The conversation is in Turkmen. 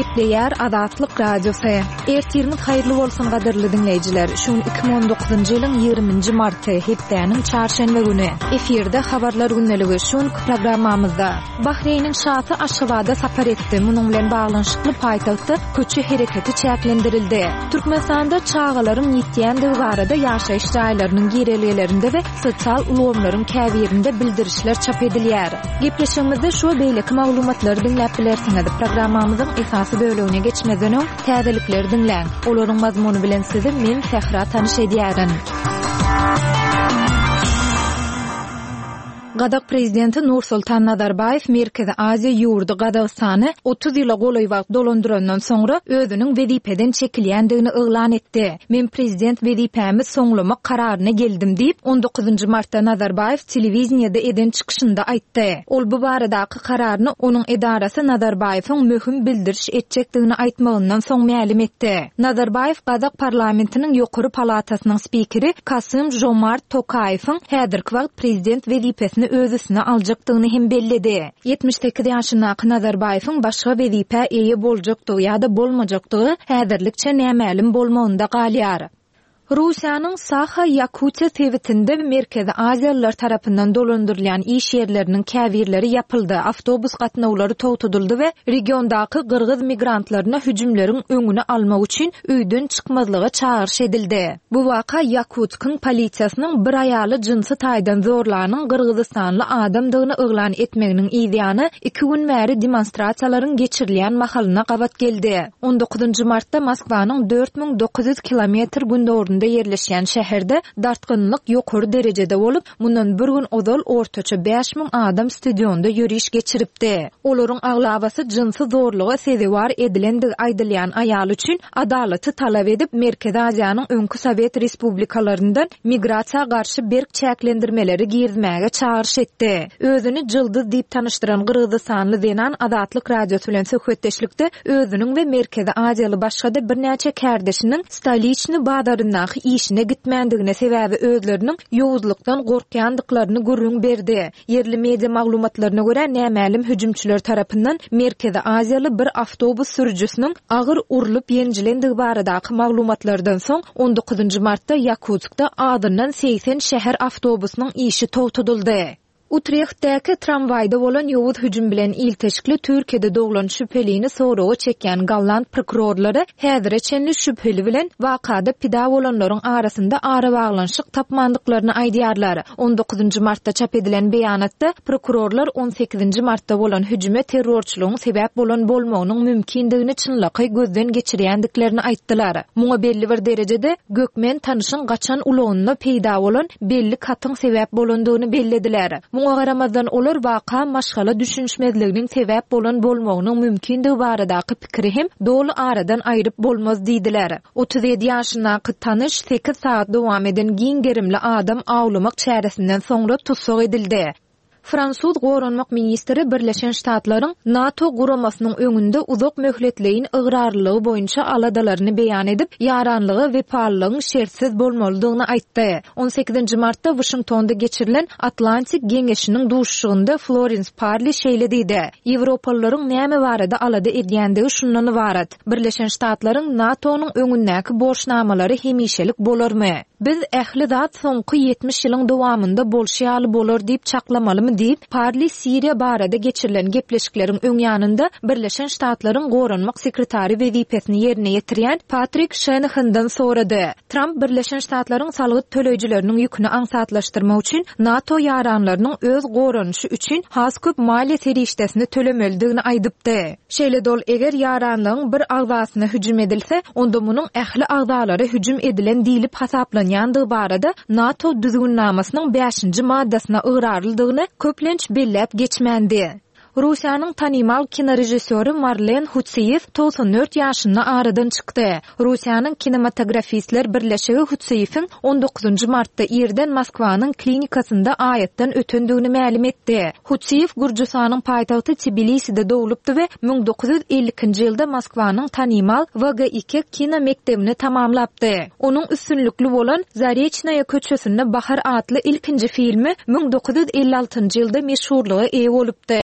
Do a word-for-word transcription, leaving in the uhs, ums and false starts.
Gepleýär Azatlyk Radiosy. Ertiriňiz haýyrly bolsun gadyrly diňleýjiler. Şu gün iki müň on dokuzynjy ýylyň ýigriminji marty, hepdäniň çarşenbe güni. Efirde habarlar gündeligi şu günki programmamyzda. Bahreýniň şasy Aşgabada sapar etdi. Munuň bilen baglanyşykly paýtagtda köçe hereketi çäklendirildi. Türkmenistanda çagalaryň ýitýändigi barada ýaşaýyş jaýlarynyň girelgelerinde we sosial ulgamlaryň käbirinde bildirişler çap edilýär. Gepleşigimizde şu we beýleki maglumatlary diňläp bilersiňiz. Programmamyzyň esasy bölegine geçmezden öň täzelikleri diňläň. Olaryň mazmuny bilen sizi men Sähra tanyş edýärin. Gazak prezidenti Nursultan Nazarbaýew Merkezi Aziýa ýurdy Gazagystany otuz ýyla golaý wagt dolandyrandan soňra özüniň wezipeden çekilýändigini yglan etdi. Men prezident wezipämi soňlamak kararyna geldim diýip, on dokuzynjy martda Nazarbaýew telewideniýede eden çykyşynda aýtdy. Ol bu baradaky kararyny onuň edarasy Nazarbaýewiň möhüm bildiriş etjekdigini aýtmagyndan soň mälim etdi. Nazarbaýew Gazak parlamentiniň ýokary palatasynyň spikeri Kasym Žomart Tokaýewiň häzirki wagt prezident wezipesini öz üstüne aljakdygyny hem belledi. Ýetmiş sekiz ýaşyndaky Nazarbaýewiň başga wezipä eýe boljakdygy ýa-da bolmajakdygy häzirlikçe nämälim bolmagynda galýar. Russiýanyň Saha Ýakutiýa sebitinde Merkezi Aziýalylar tarapyndan dolandyrylýan iş ýerleriniň käbirleri ýapyldy, awtobus gatnawlary togtadyldy we regiondaky gyrgyz migrantlaryna hüjümleriň öňüni almak üçin öýden çykmazlyga çagyryş edildi. Bu waka Ýakutskyň polisiýasynyň bir aýaly jynsy taýdan zorlanyň gyrgyzystanly adamdygyny yglan etmeginiň yzýany iki gün bäri demonstrasiýalaryň geçirilýän mahalyna gabat geldi. On dokuzynjy martda Moskwanyň dört müň dokuz ýüz kilometr gündogardynda ýerleşýän şäherde dartgynlyk ýokary derejede bolup, mundan bir gün ozal ortaça bäş müň adam stadionda ýöriş geçiripdi. Olaryň aglabasy jynsy zorluga sezewar edilendigi aýdylýan aýal üçin adalaty talap edip, Merkezi Aziýanyň öňki Sowet respublikalaryndan migrasiýa garşy berk çäklendirmeleri girizmäge çagyryş etdi. Özüni Jyldyz diýip tanyşdyran Gyrgyzystanly zenan Azatlyk Radiosy bilen söhbetdeşlikde özüniň we Merkezi Aziýaly başga-da birnäçe kärdeşiniň Stoliçny bazaryndaky işine gitmändigine sebäbi özleriniň ýowuzlykdan gorkýandyklaryny gürrüň berdi. Ýerli media maglumatlaryna görä nämälim hüjümçiler tarapyndan Merkezi Aziýaly bir awtobus sürüjisiniň agyr urlup ýenjilendigi baradaky maglumatlardan soň on dokuzynjy martda Ýakutskda azyndan segsen şäher awtobusynyň işi togtadyldy. Utrechtdäki tramwaýda bolan ýowuz hüjüm bilen ilteşikli Türkiýede doglan şübhelini soraga çekýän golland prokurorlary häzire çenli şübheli bilen wakada pida bolanlaryň arasynda arabaglanyşyk tapmandyklaryny aýdýarlar. On dokuzynjy martda çap edilen beýanatda prokurorlar on sekizinji martda bolan hüjüme terrorçylygyň sebäp bolan bolmagynyň mümkindigini çynlakaý gözden geçirýändiklerini aýtdylar. Muňa belli bir derejede Gökmen tanyşyň gaçan ulagynda peýda bolan belli katyň sebäp bolandygyny bellediler. Muňa garamazdan olar waka maşgala düşünişmezliginiň sebäp bolan bolmagynyň mümkindigi baradaky pikiri hem doly aradan aýryp bolmaz diýdiler. Otuz ýedi ýaşyndaky tanyş sekiz saat dowam eden giň gerimli adam awlamak çäresinden soňra tussag edildi. Fransuz goranmak ministri Birleşen Ştatlaryň NATO guramasynyň öňünde uzak möhletleýin ygrarlylygy boýunça aladalaryny beýan edip, ýaranlyga wepalylygyň şertsiz bolmalydygyny aýtdy. On sekizinji martda Washingtonda geçirilen Atlantik Geňeşiniň duşuşygynda Florence Parly şeýle diýdi: Ýewropalylaryň näme barada alada edýändigi şundan ybarat. Birleşen Ştatlaryň NATO-nyň öňündäki borçnamalary hemişelik bolarmy? Biz ähli zat soňky ýetmiş ýylyň dowamynda bolşy ýaly bolar diýip çaklamalymy diýip, Parly Siriýa barada geçirilen gepleşikleriň öň ýanynda Birleşen Ştatlaryň goranmak sekretary wezipesini ýerine ýetirýän Patrik Şenahandan sorady. Tramp Birleşen Ştatlaryň salgyt töleýjileriniň ýüküni aňsatlaşdyrmak üçin NATO ýaranlarynyň öz goranyşy üçin has köp maliýe serişdesini tölemelidigini aýdypdy. Şeýle dol eger ýaranlygyň bir agzasyna hüjüm edilse, onda munuň ähli agzalara hüjüm edilen diýlip hasaplanýandygy barada NATO düzgünnamasynyň bäşinji maddasyna ygrarlydygyny köplenç belläp geçmändi. Russiýanyň tanymal kinorežissýory Marlen Hutsiýew togsan dört ýaşynda aradan çykdy. Russiýanyň kinematografistler birleşigi Hutsiýewiň on dokuzynjy martda irden Moskwanyň klinikasynda aýatdan ötendigini mälim etdi. Hutsiýew Gürjüstanyň paýtagty Tbiliside doglupdy we müň dokuz ýüz elli ikinji ýylda Moskwanyň tanymal W G iki kino mekdebini tamamlapdy. Onuň üstünlikli bolan Zareçnaýa köçesinde Bahar atly ilkinji filmi müň dokuz ýüz elli altynjy ýylda meşhurlyga eýe bolupdy.